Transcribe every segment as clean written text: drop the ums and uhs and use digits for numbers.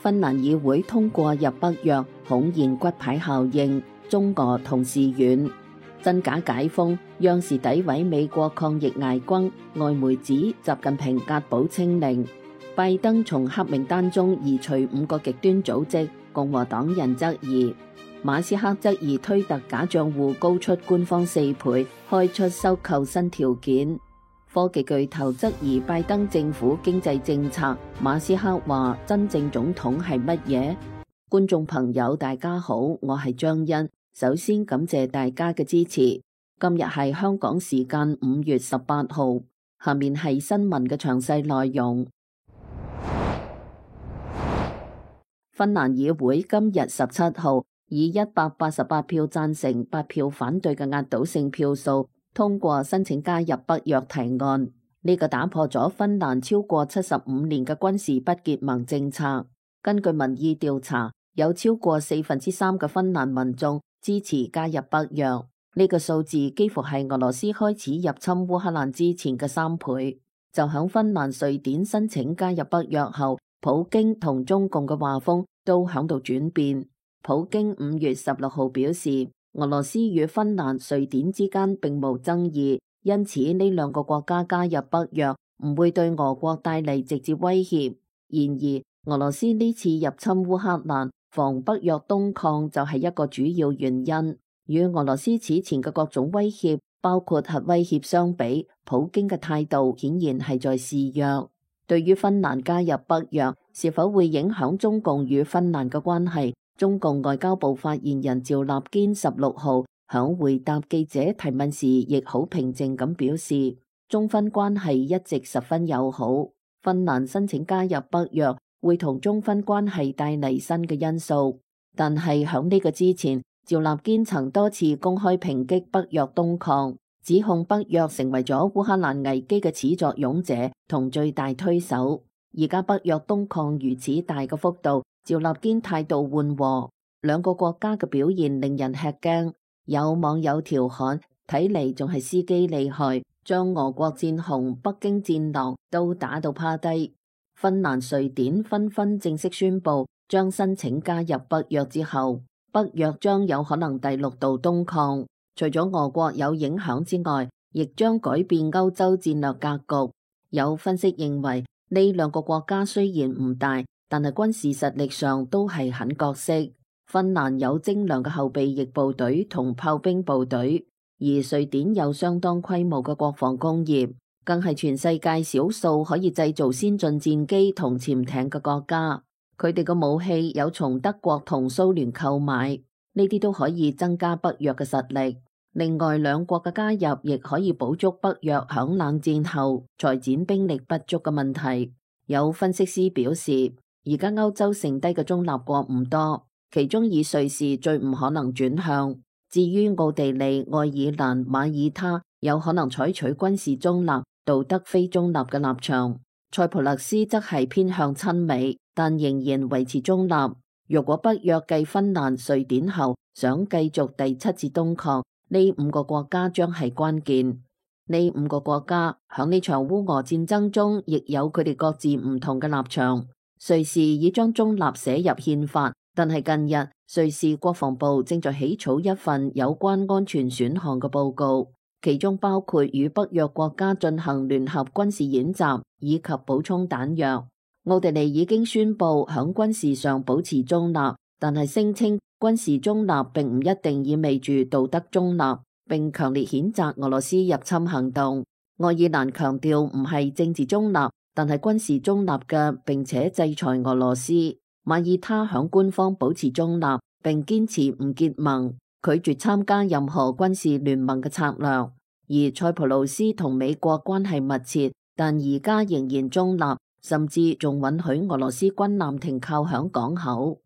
芬蘭議會通過入北約，恐現骨牌效應，中俄同時遠。真假解封，央視詆毀美國抗疫挨轟，外媒指習近平押寶清零。拜登從黑名單中移除5個極端組織，共和黨人質疑。馬斯克質疑推特假賬戶高出官方4倍，開出收購新條件。科技巨頭質疑拜登政府經濟政策，馬斯克話真正總統係乜嘢？觀眾朋友大家好，我係張欣，首先感謝大家嘅支持。今日係香港時間5月18號，下面係新聞嘅詳細內容。芬蘭議會今日17號以188票贊成、8票反對嘅壓倒性票數通過申請加入北約提案，呢個打破咗芬蘭超過75年嘅軍事不結盟政策。根據民意調查，有超過3/4嘅芬蘭民眾支持加入北約，呢個數字幾乎係俄羅斯開始入侵烏克蘭之前嘅3倍。就響芬蘭、瑞典申請加入北約後，普京同中共嘅畫風都響度轉變。普京5月16號表示，俄羅斯與芬蘭、瑞典之間並無爭議，因此呢兩個國家加入北約唔會對俄國帶嚟直接威脅。然而，俄羅斯呢次入侵烏克蘭，防北約東擴就係一個主要原因。與俄羅斯此前嘅各種威脅，包括核威脅相比，普京嘅態度顯然係在示弱。對於芬蘭加入北約，是否會影響中共與芬蘭嘅關係？中共外交部發言人趙立堅16號響回答記者提問時，亦好平靜咁表示，中芬關係一直十分友好。芬蘭申請加入北約，會同中芬關係帶嚟新嘅因素。但係響呢個之前，趙立堅曾多次公開抨擊北約東擴，指控北約成為咗烏克蘭危機嘅始作俑者同最大推手。而家北約東擴如此大嘅幅度，趙立堅態度緩和，兩個國家嘅表現令人吃驚。有網友調侃，睇嚟仲係司機厲害，將俄國戰熊、北京戰狼都打到趴低。芬蘭、瑞典紛紛正式宣布將申請加入北約之後，北約將有可能第6度東擴。除咗俄國有影響之外，亦將改變歐洲戰略格局。有分析認為，呢兩個國家雖然唔大，但係軍事實力上都係很角色。芬蘭有精良嘅後備役部隊同炮兵部隊，而瑞典有相當規模嘅國防工業，更係全世界少數可以製造先進戰機同潛艇嘅國家。佢哋嘅武器有從德國同蘇聯購買，呢啲都可以增加北約嘅實力。另外，兩國嘅加入亦可以補足北約響冷戰後裁剪兵力不足嘅問題。有分析師表示，而家歐洲剩低嘅中立國唔多，其中以瑞士最唔可能轉向。至於奧地利、愛爾蘭、馬耳他有可能採取軍事中立、道德非中立嘅立場。塞浦路斯則係偏向親美，但仍然維持中立。若果北約繼芬蘭、瑞典後想繼續第7次東擴，呢5個國家將係關鍵。呢5個國家響呢場烏俄戰爭中，亦有佢哋各自唔同嘅立場。瑞士已將中立寫入憲法，但係近日瑞士國防部正在起草一份有關安全選項嘅報告，其中包括與北約國家進行聯合軍事演習以及補充彈藥。奧地利已經宣布響軍事上保持中立，但係聲稱軍事中立並唔一定意味住道德中立，並強烈譴責俄羅斯入侵行動。愛爾蘭強調唔係政治中立，但係軍事中立嘅，並且制裁俄羅斯。馬耳他響官方保持中立，並堅持唔結盟，拒絕參加任何軍事聯盟嘅策略。而塞浦路斯同美國關係密切，但而家仍然中立，甚至仲允許俄羅斯軍艦停靠響港口。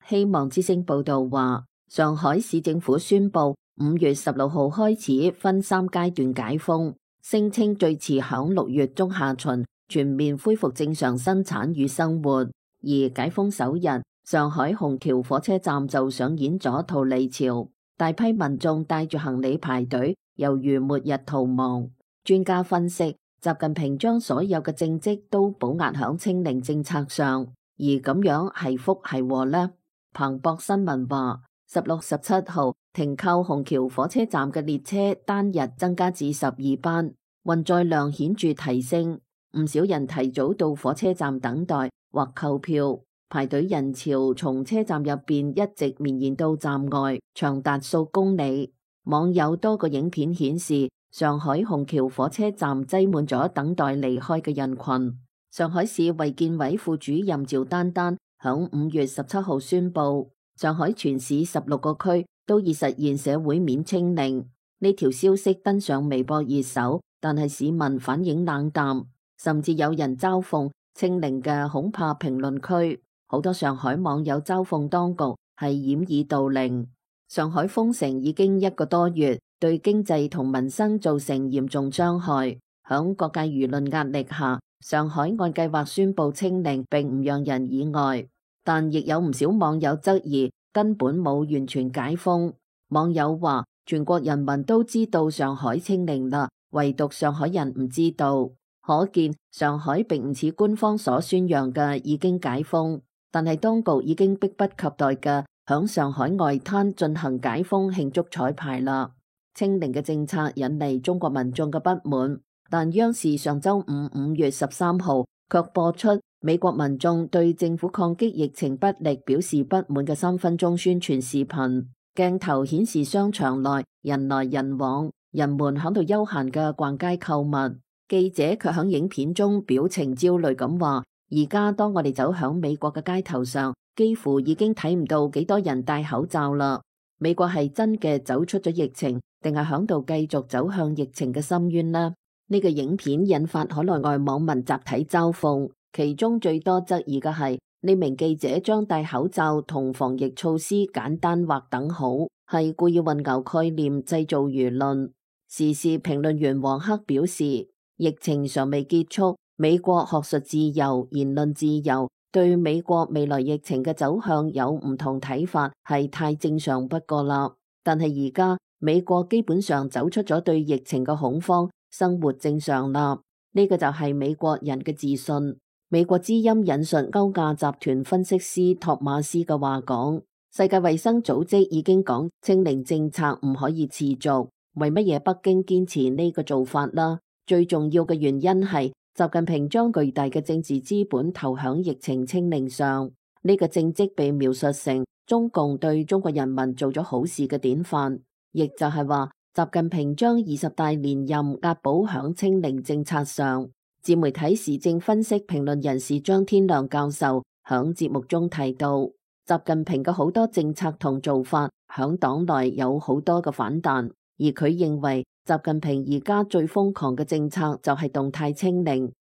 希望之聲報道話，上海市政府宣布5月16號開始分3階段解封，聲稱最遲響6月中下旬全面恢復正常生產與生活。而解封首日，上海虹橋火車站就上演咗逃離潮，大批民眾帶住行李排隊，猶如末日逃亡。專家分析，習近平將所有嘅政績都保壓響清零政策上，而咁樣係福係禍呢？彭博新聞話，16、17號停靠虹橋火車站嘅列車單日增加至12班，運載量顯著提升，唔少人提早到火車站等待或購票，排隊人潮從車站入邊一直綿延到站外，長達數公里。網友多個影片顯示，上海虹橋火車站擠滿咗等待離開嘅人群。上海市衛健委副主任趙丹丹響5月17號宣布，上海全市16個區都已實現社會面清零。呢條消息登上微博熱搜，但係市民反應冷淡，甚至有人嘲諷清零嘅恐怕評論區。好多上海網友嘲諷當局係掩耳盜鈴。上海封城已經1個多月，對經濟同民生造成嚴重傷害。響各界輿論壓力下，上海按計劃宣布清零，並唔讓人意外。但亦有唔少網友質疑根本冇完全解封。網友話，全國人民都知道上海清零啦，唯獨上海人唔知道。可見上海並唔似官方所宣揚嘅已經解封，但係當局已經迫不及待嘅響上海外灘進行解封慶祝彩排啦。清零嘅政策引嚟中國民眾嘅不滿，但央視上周五5月13號卻播出美國民眾對政府抗擊疫情不力表示不滿嘅3分鐘宣傳視頻。鏡頭顯示商場內人來人往，人們響度悠閒嘅逛街購物。記者卻響影片中表情焦慮咁話，而家當我哋走響美國嘅街頭上，幾乎已經睇唔到幾多人戴口罩啦。美國係真嘅走出咗疫情，定係響度繼續走向疫情嘅深淵呢？呢個影片引發海內外網民集體嘲諷，其中最多質疑嘅係呢名記者將戴口罩同防疫措施簡單劃等號，係故意混淆概念，製造輿論。時事評論員黃克表示，疫情尚未結束，美國學術自由、言論自由對美國未來疫情嘅走向有唔同睇法，係太正常不過啦。但係而家美國基本上走出咗對疫情嘅恐慌，生活正常啦。呢個就係美國人嘅自信。美國之音引述歐亞集團分析師托馬斯嘅話講，世界衛生組織已經講清零政策唔可以持續，為乜嘢北京堅持呢個做法啦？最重要嘅原因係習近平將巨大嘅政治資本投響疫情清零上，呢個政績被描述成中共對中國人民做咗好事嘅典範，亦就係話習近平將20大連任押寶響清零政策上。自媒體時政分析評論人士張天亮教授響節目中提到，習近平嘅好多政策同做法響黨內有好多嘅反彈，而佢認為習近平而家最瘋狂嘅政策就係動態清零。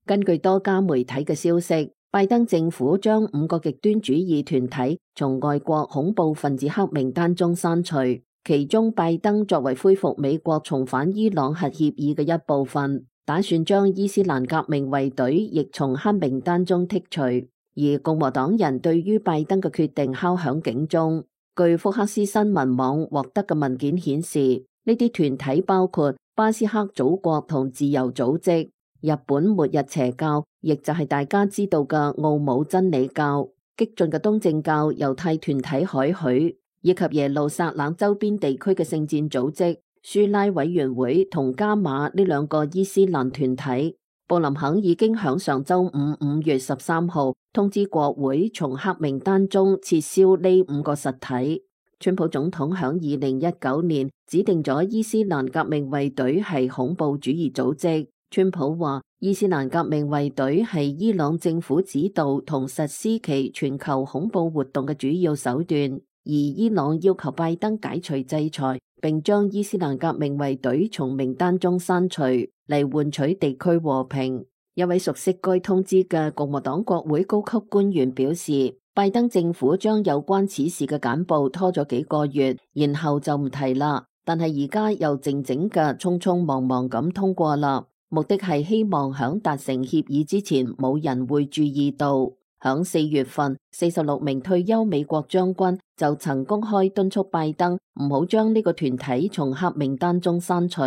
根據多家媒體嘅消息，拜登政府將5個極端主義團體從外國恐怖分子黑名單中刪除，其中拜登作為恢復美國重返伊朗核協議嘅一部分，打算將伊斯蘭革命衛隊亦從黑名單中剔除。而共和黨人對於拜登嘅決定敲響警鐘。據福克斯新聞網獲得嘅文件顯示，呢啲團體包括巴斯克祖國同自由組織、日本末日邪教，亦就係大家知道嘅奧姆真理教、激進嘅東正教猶太團體海許，以及耶路撒冷周邊地區嘅聖戰組織、舒拉委員會同加馬呢2個伊斯蘭團體。布林肯已經響上周五5月13號通知國會從黑名單中撤銷呢5個實體。川普總統響2019年指定咗伊斯蘭革命衛隊係恐怖主義組織。川普話伊斯蘭革命衛隊係伊朗政府指導同實施其全球恐怖活動嘅主要手段，而伊朗要求拜登解除制裁，並將伊斯蘭革命衛隊從名單中刪除，嚟換取地區和平。一位熟悉該通知嘅共和黨國會高級官員表示，拜登政府將有關此事嘅簡報拖咗幾個月，然後就唔提啦。但係而家又靜靜嘅匆匆忙忙咁通過啦，目的係希望響達成協議之前冇人會注意到。響4月份，46名退休美國將軍就曾公開敦促拜登唔好將呢個團體從黑名單中刪除，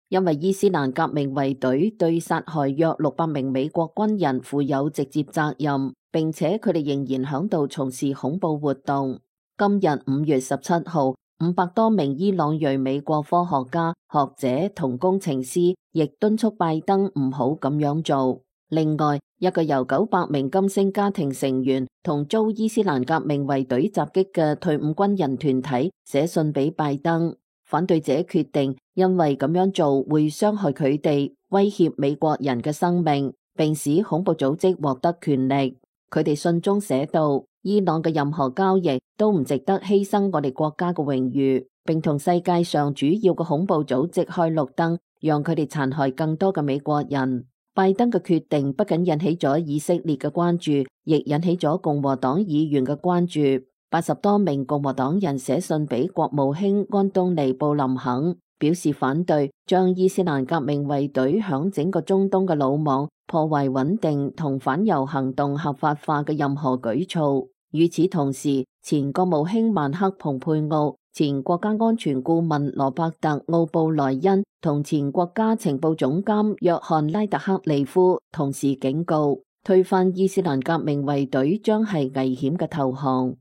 因為伊斯蘭革命衛隊對殺害約600名美國軍人負有直接責任，並且佢哋仍然響度從事恐怖活動。今日5月17號，500多名伊朗裔美國科學家、學者同工程師亦敦促拜登唔好咁樣做。另外，一個由900名金星家庭成員同遭伊斯蘭革命衛隊襲擊嘅退伍軍人團體寫信俾拜登，反對者決定因為咁樣做會傷害佢哋，威脅美國人嘅生命，並使恐怖組織獲得權力。佢哋信中寫道，伊朗嘅任何交易都唔值得犧牲我哋國家嘅榮譽，並同世界上主要嘅恐怖組織開綠燈，讓佢哋殘害更多嘅美國人。拜登嘅決定不僅引起咗以色列嘅關注，亦引起咗共和黨議員嘅關注。80多名共和黨人寫信俾國務卿安東尼布林肯，表示反對將伊斯蘭革命衛隊響整個中東嘅魯網破壞穩定同反猶行動合法化嘅任何舉措。與此同時，前國務卿曼克蓬佩奧、前國家安全顧問羅伯特奧布萊恩同前國家情報總監約翰拉特克利夫同時警告，推翻伊斯蘭革命衛隊將係危險嘅投降。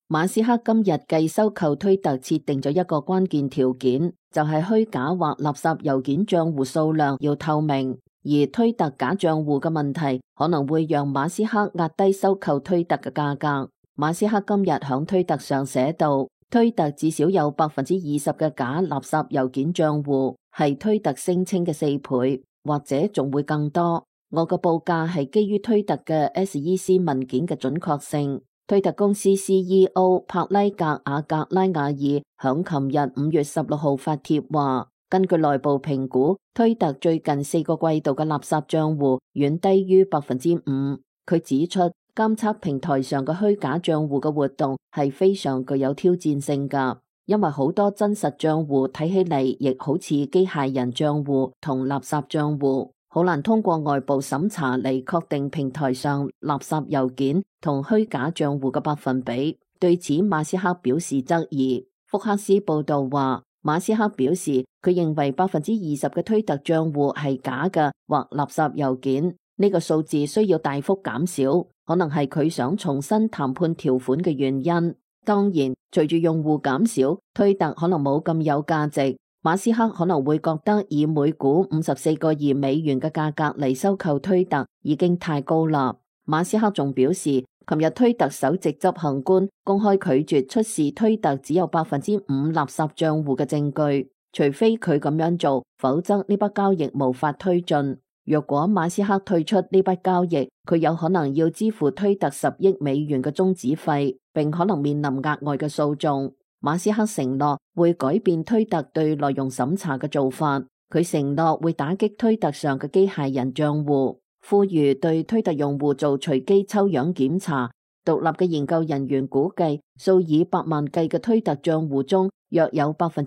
馬斯克今日繼收購推特設定咗一個關鍵條件，就係虛假或垃圾郵件賬戶數量要透明，而推特假賬戶嘅問題可能會讓馬斯克壓低收購推特嘅價格。馬斯克今日響推特上寫道，推特至少有20%嘅假垃圾郵件賬戶，係推特聲稱嘅4倍，或者仲會更多。我嘅報價係基於推特嘅 SEC 文件嘅準確性。推特公司 CEO 帕拉格瓦格拉瓦爾響琴日5月16號發帖話，根據內部評估，推特最近4個季度嘅垃圾賬戶遠低於5%。佢指出，監測平台上嘅虛假賬戶嘅活動係非常具有挑戰性㗎，因為好多真實賬戶睇起嚟亦好似機械人賬戶同垃圾賬戶，好難通過外部審查嚟確定平台上垃圾郵件同虛假賬戶嘅百分比。對此，馬斯克表示質疑。福克斯報道話，馬斯克表示佢認為20%嘅推特賬戶係假嘅或垃圾郵件，呢個數字需要大幅減少，可能係佢想重新談判條款嘅原因。當然，隨住用戶減少，推特可能冇咁有價值。馬斯克可能會覺得以每股54個億美元嘅價格嚟收購推特已經太高啦。馬斯克仲表示，琴日推特首席執行官公開拒絕出示推特只有5%垃圾賬戶嘅證據，除非佢咁樣做，否則呢筆交易無法推進。若果馬斯克退出呢筆交易，佢有可能要支付推特10億美元嘅終止費，並可能面臨額外嘅訴訟。馬斯克承諾會改變推特對內容審查嘅做法，佢承諾會打擊推特上嘅機械人賬戶，呼籲對推特用戶做隨機抽樣檢查。獨立嘅研究人員估計，數以百萬計嘅推特賬戶中，約有9%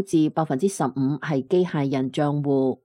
至15%係機械人賬戶。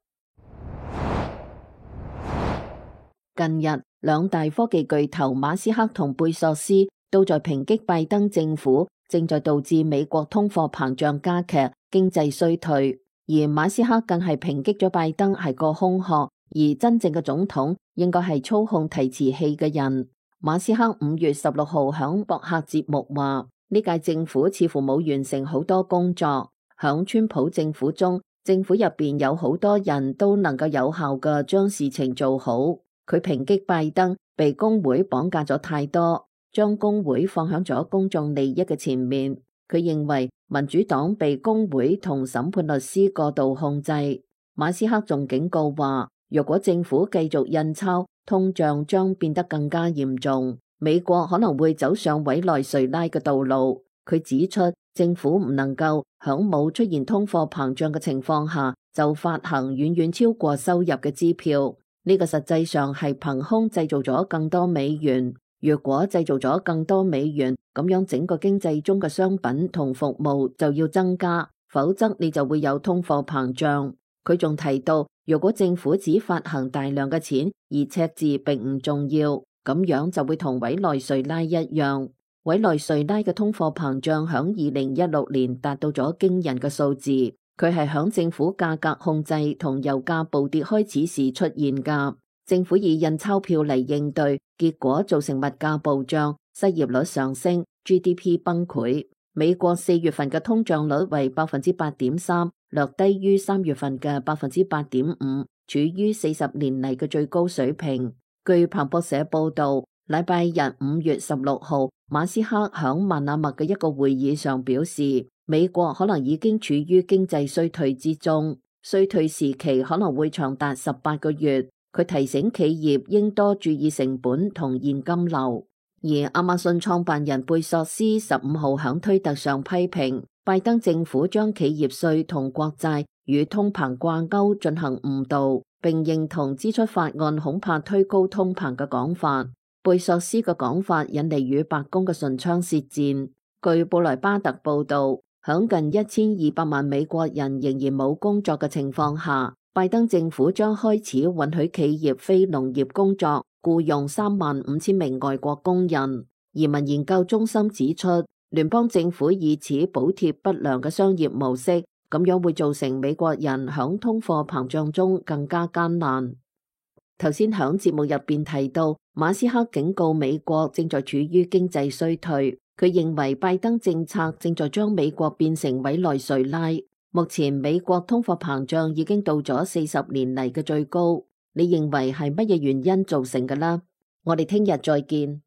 近日，兩大科技巨頭馬斯克同貝索斯都在抨擊拜登政府正在導致美國通貨膨脹加劇、經濟衰退，而馬斯克更係抨擊咗拜登係個空殼，而真正嘅總統應該係操控提詞器嘅人。馬斯克5月16號響博客節目話，呢屆政府似乎冇完成好多工作。響川普政府中，政府入邊有好多人都能夠有效嘅將事情做好。佢抨擊拜登被工會綁架咗太多，將工會放響咗公眾利益嘅前面。佢認為民主黨被工會同審判律師過度控制。馬斯克仲警告話，若果政府繼續印鈔，通脹將變得更加嚴重，美國可能會走上委內瑞拉嘅道路。佢指出，政府唔能夠響冇出現通貨膨脹嘅情況下就發行遠遠超過收入嘅支票。呢個實際上係憑空製造咗更多美元。若果製造咗更多美元，咁樣整個經濟中嘅商品同服務就要增加，否則你就會有通貨膨脹。佢仲提到，如果政府只發行大量嘅錢，而赤字並唔重要，咁樣就會同委內瑞拉一樣。委內瑞拉嘅通貨膨脹響2016年達到咗驚人嘅數字，佢係響政府價格控制同油價暴跌開始時出現㗎。政府以印鈔票嚟應對，結果造成物價暴漲，失業率上升， GDP 崩潰。美國4月份嘅通脹率為 8.3%， 略低於3月份嘅 8.5%， 處於40年嚟嘅最高水平。據彭博社報道，禮拜日5月16號，馬斯克響曼阿密嘅一個會議上表示，美國可能已經處於經濟衰退之中，衰退時期可能會長達18個月。佢提醒企業應多注意成本同現金流。而亞馬遜創辦人貝索斯15號響推特上批評拜登政府將企業稅同國債與通膨掛鈎進行誤導，並認同支出法案恐怕推高通膨嘅講法。貝索斯嘅講法引嚟與白宮嘅唇槍舌戰。據布萊巴特報道，響近1200萬美國人仍然冇工作嘅情況下，拜登政府將開始允許企業非農業工作僱用35000名外國工人。移民研究中心指出，聯邦政府以此補貼不良嘅商業模式，咁樣會造成美國人響通貨膨脹中更加艱難。頭先響節目入邊提到，馬斯克警告美國正在處於經濟衰退，佢認為拜登政策正在將美國變成委內瑞拉。目前美國通貨膨脹已經到咗40年嚟嘅最高，你認為係乜嘢原因造成㗎啦？我哋聽日再見。